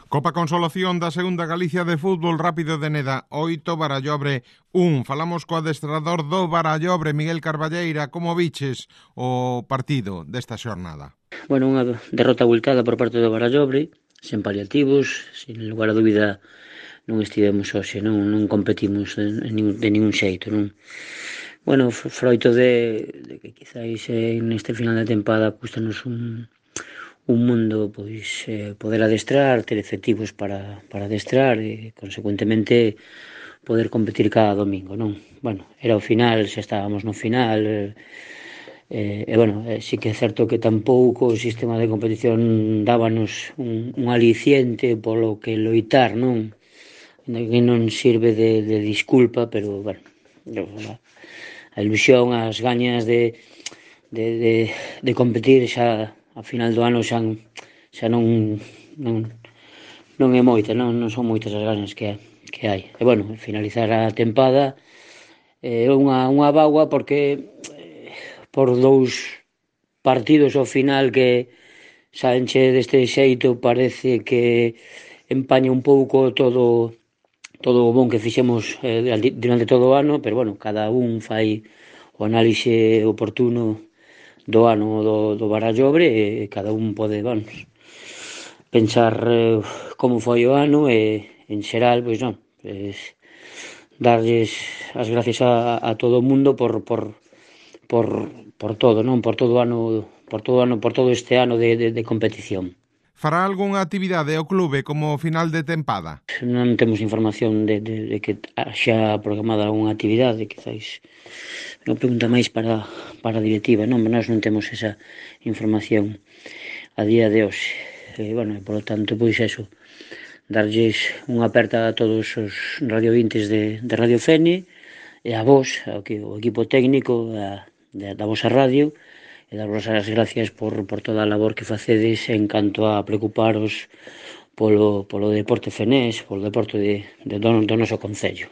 Copa Consolación da Segunda Galicia de Fútbol Rápido de Neda, 8, Barallobre 1. Falamos co adestrador do Barallobre, Miguel Carballeira. Como viches o partido desta xornada? Bueno, unha derrota abultada por parte do Barallobre, sen paliativos, sin lugar a dúbida non estivemos hoxe, non competimos de ningún xeito, non. Bueno, froito de que quizáis neste final de tempada custanos un mundo pois poder adestrar, ter efectivos para adestrar e consecuentemente poder competir cada domingo, non? Bueno, era o final, xa estábamos no final, bueno, sí que é certo que tampouco o sistema de competición dábanos un aliciente polo que loitar, non? Que non sirve de disculpa, pero, bueno, a ilusión, as gañas de competir xa a final do ano xa non é moita, non son moitas as ganas que hai. E, bueno, finalizar a tempada é unha bagua porque por 2 partidos ao final que saenche deste xeito parece que empaña un pouco todo o bon que fixemos durante todo o ano, pero, bueno, cada un fai o análise oportuno do ano do Barallobre e cada un pode, vamos, pensar como foi o ano e, en xeral, pois non, darlles as gracias a todo o mundo por todo, non? Por todo este ano de competición. Fará algunha actividade o clube como final de tempada? Non temos información de que xa programada algunha actividade, quizáis non pregunta máis para a directiva, non? Nós non temos esa información a día de hoxe. Bueno, por lo tanto, pois eso, darlles unha aperta a todos os radiovintes de Radio Fene e a vos, o equipo técnico da vosa radio, e daros as gracias por toda a labor que facedes en canto a preocuparos polo deporte fenés, polo deporte do noso concello.